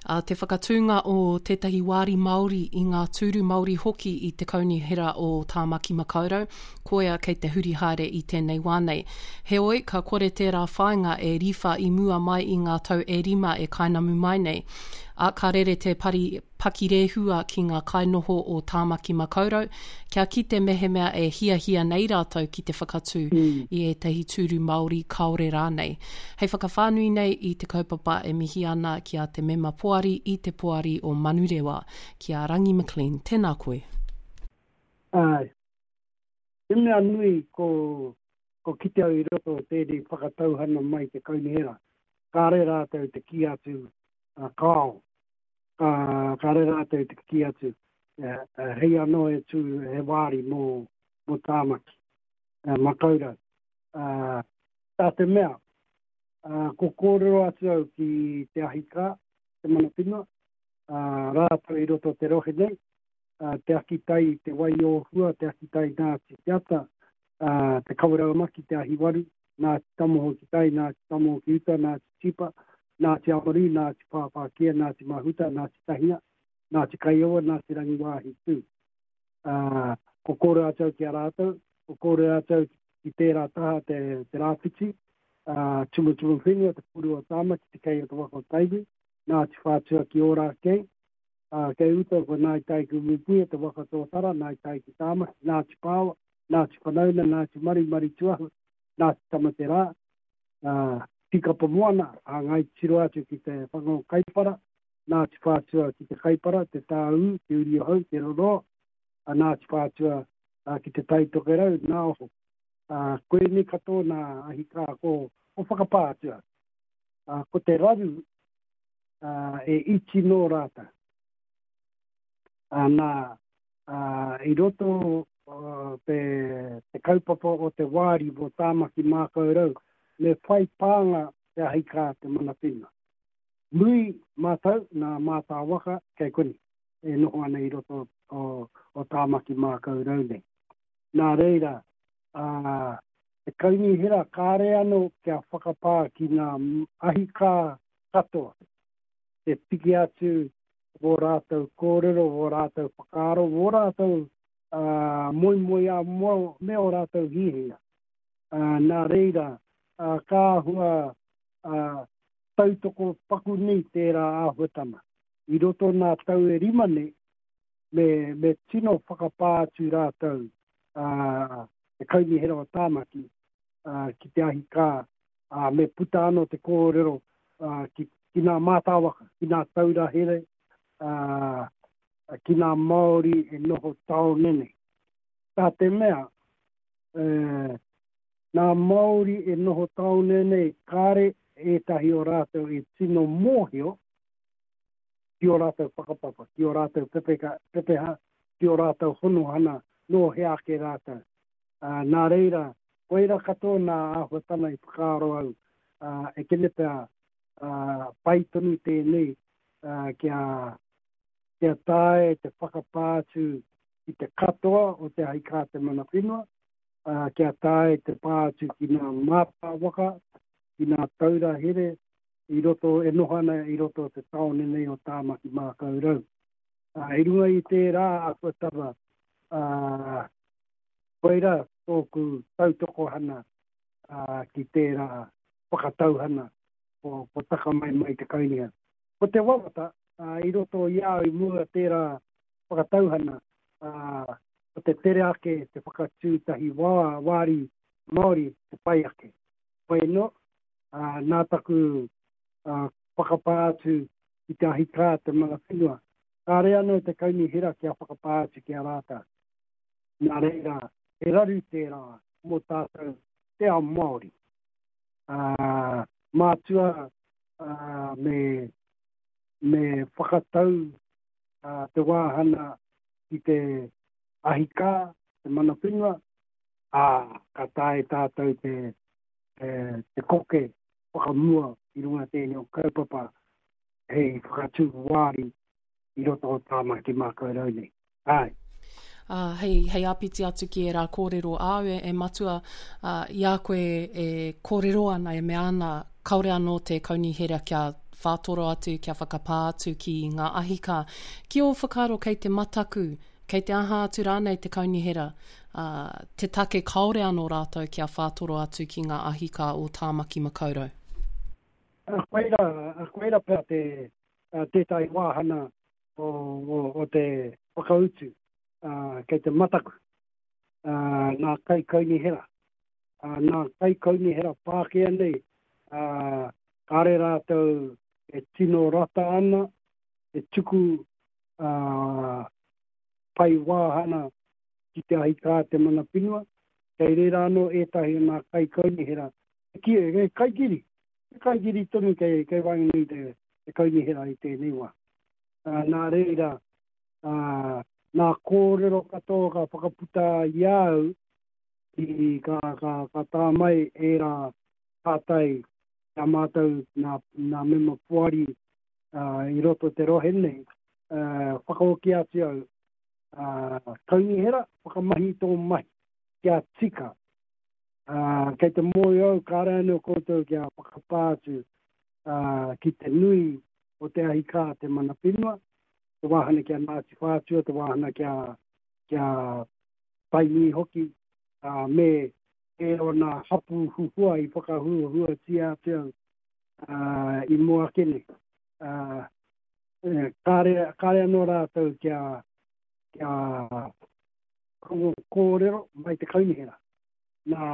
Ā, te whakatūnga o tētahi wāri Māori i ngā tūru Māori hoki i te Kaunihera o Tāmaki Makaurau, koia kei te huri haere i tēnei wā nei. Heoi, ka kore tērā whāinga e riwha i mua mai i ngā tau e rima e kainamu mai nei. Ā, ka rere te pari pakirehua ki ngā kainoho o Tāmaki Makaurau kia kite mehemea e hiahia nei rātou ki te whakatū i ētahi tūru Māori kāore rānei. Hei whakawhānui nei i te kaupapa e mihi ana ki a te mema poari i te poari o Manurewa, ki a Rangi McLean. Tēnā koe. Āe. He mea nui ko ko kite au i roto o tēnei whakatauhana mai te kaunihera, kāre rātou te kī atu kāo. Ka, kāre rātou te kī atu, hei anō e tū he wāri mō, mō Tāmaki, Makaurau. Tā te mea, ko kōrero atu au ki te ahikā, te mana whenua, rātou i roto te rohe nei, te akitai, te Wai-o-Hua, te akitai Ngāti Te Ata, te Kawerau-a-Maki, te Ahiwaru, Ngāti Tamoho ki tai, Ngāti Tamoho ki uta, Ngāti Tipa, Ngāti Amaru, Ngāti Pāpākia, Ngāti Mahuta, Ngāti Tahinga, Ngāti Kaiowa, Ngāti Rangiwāhi tū. Ko kōrero atu au ki a rātou, ko kōrero atu au ki tērā taha te, te rāwhiti, Tumutumu whenua, te puru o Tāmaki, te kei o te waka o Tainui, Ngāti Whātua ki Ōrākei, Ā, kei uta ko Ngāi Tai ki Umupuia, te waka tōtara, Ngāi Tai ki Tāmaki, Ngāti Pāoa, Ngāti Whanauna, Ngāti Maru, Maru Tuahu, Ngāti Tamaterā, ā, Tīkapa Moana, ā, Ngāi Tiro atu ki te whanga o Kaipara, Ngāti Whātua ki te Kaipara, Te Tāū, Te Uri o Hau, Te Roroa, ā, Ngāti Whātua, ā, ki Te Tai Tokerau, Nā Oho. Ā, koinei katoa nā ahi kā ko, ko whakapā atu au. Ā, ko te raru, ā, e iti nō rātou. Ā, nā, ā, i roto te, te kaupapa o te wāri mō Tāmaki Mākaurau, me whai pānga te ahi kā te mana whenua. Nui mātou nā mātāwaka kei konei e noho ana i roto o, o Tāmaki Mākaurau nei. Nā reira, ā, te kaunihera kāre anō kia whakapā ki ngā ahi kā katoa, te piki atu wō rātou kōrero, wō rātou whakaaro, wō rātou moemoeā me ō rātou hiahia. Nā reira, ka āhua tautoko paku nei tērā āhuatanga. I roto nā tau e rima nei, me, me tino whakapā atu rātou, te Kaunihera o Tāmaki, ki te ahi kā, ā, me puta anō te kōrero ki, ki nā mātāwaka, ki nā taura here, ā, ki nā Māori e noho tāone nei. Tā te mea, e, nā Māori e noho tāone nei, kāre ētahi o rātou i tino mōhio ki ō rātou whakapapa, ki ō rātou pepeka, pepeha, ki ō rātou honohana nō hea ake rātou. Ā, nā reira, koira katoa nā āhuatana i whakaaro au, ā, e kene pea, ā, pai tonu tēnei, ā, kia, kia taea te whakapā atu ki te katoa o te ahi kā te mana whenua, ā, kia taea te pā atu ki nā mātā waka, ki nā taura here i roto, e noho ana i roto o te tāone nei o Tāmaki Mākaurau. Ā, i runga i tērā āhuatanga, ā, Koira tōku tautokohana ki tērā whakatauhana ko taka mai mai te kaunihera. Ko te wawata i roto i a au i mua tērā whakatauhana, ko te tere ake te whakatū tahi wāri Māori te pai ake. Hoi anō, nā taku whakapā atu ki te ahikā te mana whenua, kāre anō te kaunihera kia whakapā atu ki a rātou. Nā reira, he raru tērā mō tātou te ao Māori. Ā, mātua me, me whakatau te wāhana ki te ahikā, te mana whenua, ā, ka taea tātou te, te, te koke whakamua i runga tēnei o kaupapa hei whakatū wāri i roto o Tāmaki Mākaurau nei. Āe. Ā, hei, hei āpiti atu ki ērā kōrero āu e, e Matua, ā, i a koe e kōrero ana, e mea ana, kāore anō te kaunihera kia whātoro atu, kia whakapā atu ki ngā ahikā. Ki ō whakaaro kei te mataku, kei te aha atu rānei te kaunihera, ā, te take kāore anō rātou kia whātoro atu ki ngā ahikā o Tāmaki Makaurau? Koirā, koirā pea te, tētahi wāhana o, o, o te whakautu, kei te mataku, nā kaikaunihera, nā kaikaunihera Pākehā nei, ā, kāre rātou e tino rata ana, e tuku whai wāhana ki te ahi kā te mana whenua, kei reira anō ētahi o nā kaikaunihera, ki, e kaikiri, he kaikiri tonu kei, kei waenganui i te, te kaunihera i tēnei wā. Ā, nā reira, ā, nā kōrero katoa ka whakaputa i a au, i, ka, ka, ka tā mai ērā pātai ki a mātou nā, nā mema poari uh, i roto te rohe nei, uh, whakahoki atu au, uh, kaunihera, whakamahi tō mahi, kia tika. Uh, kei te mōhio au, kāre anō koutou kia whakapā atu uh, ki te nui o te ahi kā te mana whenua, te wāhana ki a Ngāti Whātua, te wāhana ki a, ki a Tainui hoki, ā, me ērā hapū huhua i whakahuahuatia atu au ā, i mua ake nei. Ā, kāre, kāre anō rātou kia, kia rongo kōrero mai te kaunihera. Nā,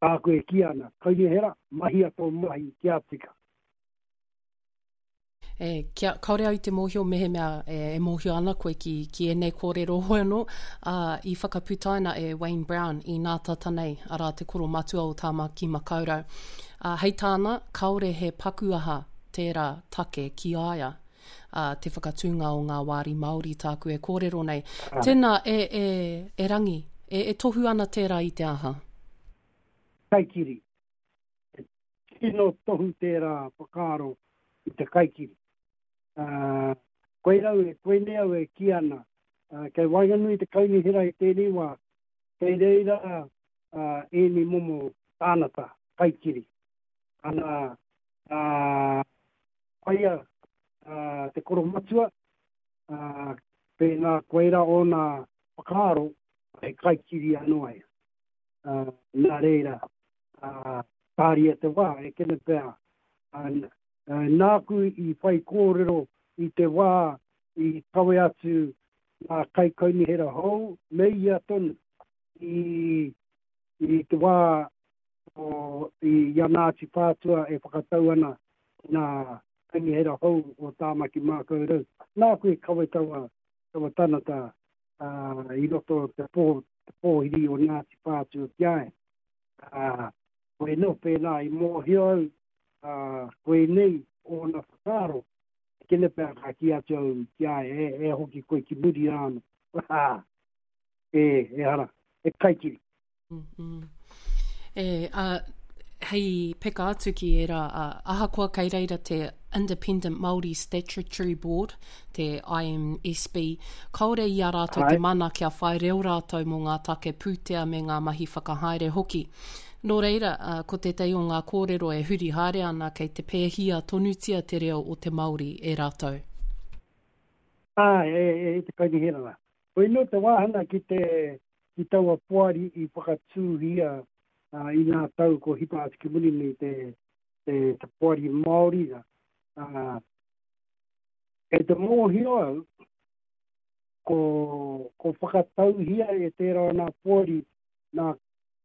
tāku e kī ana, kaunihera, mahia tō mahi kia tika. E, kia, kaore au i te mōhio mehemea e, e mōhio ana koe ki, ki ēnei kōrero hoi anō, ā, i whakaputaina e Wayne Brown i nā tata nei, arā te koro matua o Tāmaki Makaurau. Ā, hei tāna, kāore he paku aha tērā take ki a ia, ā, te whakatūnga o ngā wāri Māori tāku e kōrero nei. Tēnā, e, e, e Rangi, e, e tohu ana tērā i te aha? Kaikiri. He tino tohu tērā whakaaro i te kaikiri. Ā, koirā au e, koinei au e kī ana, ā, kei waenganui i te kaunihera i tēnei wā, kei reira ā, ēnei momo tānata, kaikiri. Ana, ā, koia ā, te koromatua, ā, pēnā koirā ōna whakaaro, he kaikiri anō ia. Ā, nā reira, ā, tāria te wā, e kene pea, ā, nāku i whai kōrero i te wā i kawe atu ngā kaikaunihera hou me ia tonu i, i te wā o, i, i a Ngāti Whātua e whakatau ana i ngā kaunihera hou o Tāmaki Mākaurau. Nāku i kawe taua, taua tanata ā, i roto te pō, te pōhiri o Ngāti Whātua ki a ia. Ā, koe nō pēnā i mōhio au, ā, koinei ōna whakaaro, kene pea ka kī atu au ki a ia, e, e hoki koe ki muri rā anō. Ā, e, ehara, he kaikiri. Mm, mm. E, ā, hei peka atu ki ērā, ā, ahakoa kei reira te Independent Māori Statutory Board, te IMSB, kāore i a rātou te mana kia whai reo rātou mō ngā take pūtea me ngā mahi whakahaere hoki. Nō reira, ko tētahi o ngā kōrero e huri haere ana kei te pēhia tonutia te reo o te Māori e rātou. Āe, e, e te kaunihera rā. Koinō te wāhanga ki te, ki taua poari i whakatūhia i ngā tau ko hipa atu ki muri nei te, te, te poari Māori rā. Ā, Kei te mōhio au, ko, ko whakatauhia e tērā o nā poari nā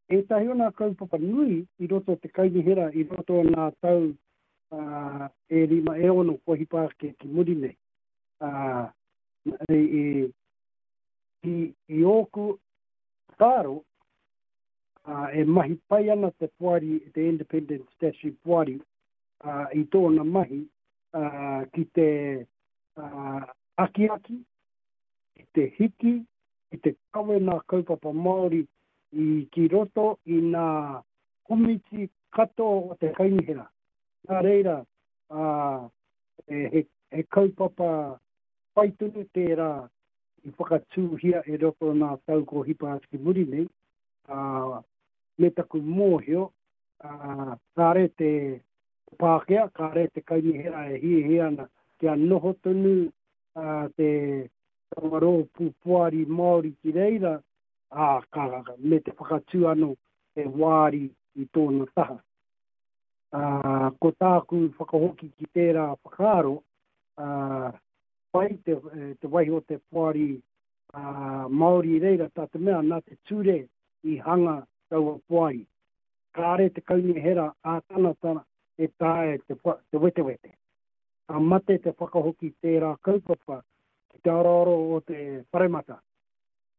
ētahi o nā kaupapa nui i roto o te kaunihera i roto o nā tau uh, e rima, e ono kua hipa ake ki muri nei. Uh, i, i, i, i ōku whakaaro, uh, e mahi pai ana te poari, te Independent Statutory Poari, uh, i tōna mahi uh, ki te uh, akiaki, ki te hiki, ki te kawe nā kaupapa Māori i ki roto i nā komiti katoa o te kaunihera. Nā reira, uh, he, he kaupapa pai tonu tērā i whakatūhia e roto nā tau ko hipa atu ki muri nei, uh, me taku mōhio, uh, kāre te. Pākehā, kāre te kaunihera e hiahia ana kia noho tonu te taua rōpū poari Māori ki reira, ā, ka, me te whakatū anō he wāri i tōna taha. Ā, ko tāku whakahoki ki tērā whakaaro, ā, pai te, te waiho te poari Māori i reira, tā te mea nā te ture i hanga taua poari. Kāre te kaunihera ā-tangata e taea te, te wetewete. Ka mate te whakahoki tērā kaupapa ki te aroaro o te paremata.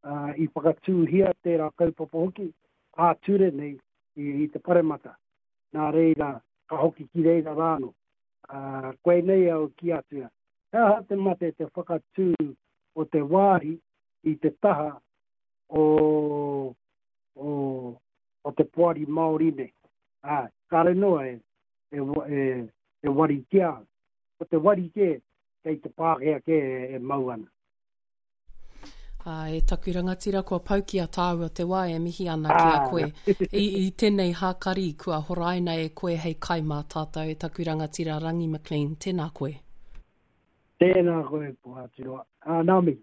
Ā, i whakatūhia tērā kaupapa hoki ā-ture nei i, i te paremata. Nā reira, ka hoki ki reira rānō. Ā, koinei au kī atu, he aha te mate te whakatū o te wāhi i te taha o, o, o te poari Māori nei. Ā, kāre noa e, e, e, e wari ki a au. Ko te wari kē, kei te Pākehā kē e, e mau ana. Ā, e taku rangatira, kua pau ki a tāua te wā e mihi ana ki a koe. I, i tēnei hākari kua horaina e koe hei kai mā tātou, e taku rangatira Rangi McLean, tēnā koe. Tēnā koe, Pohaturoa. Ā, nā mihi.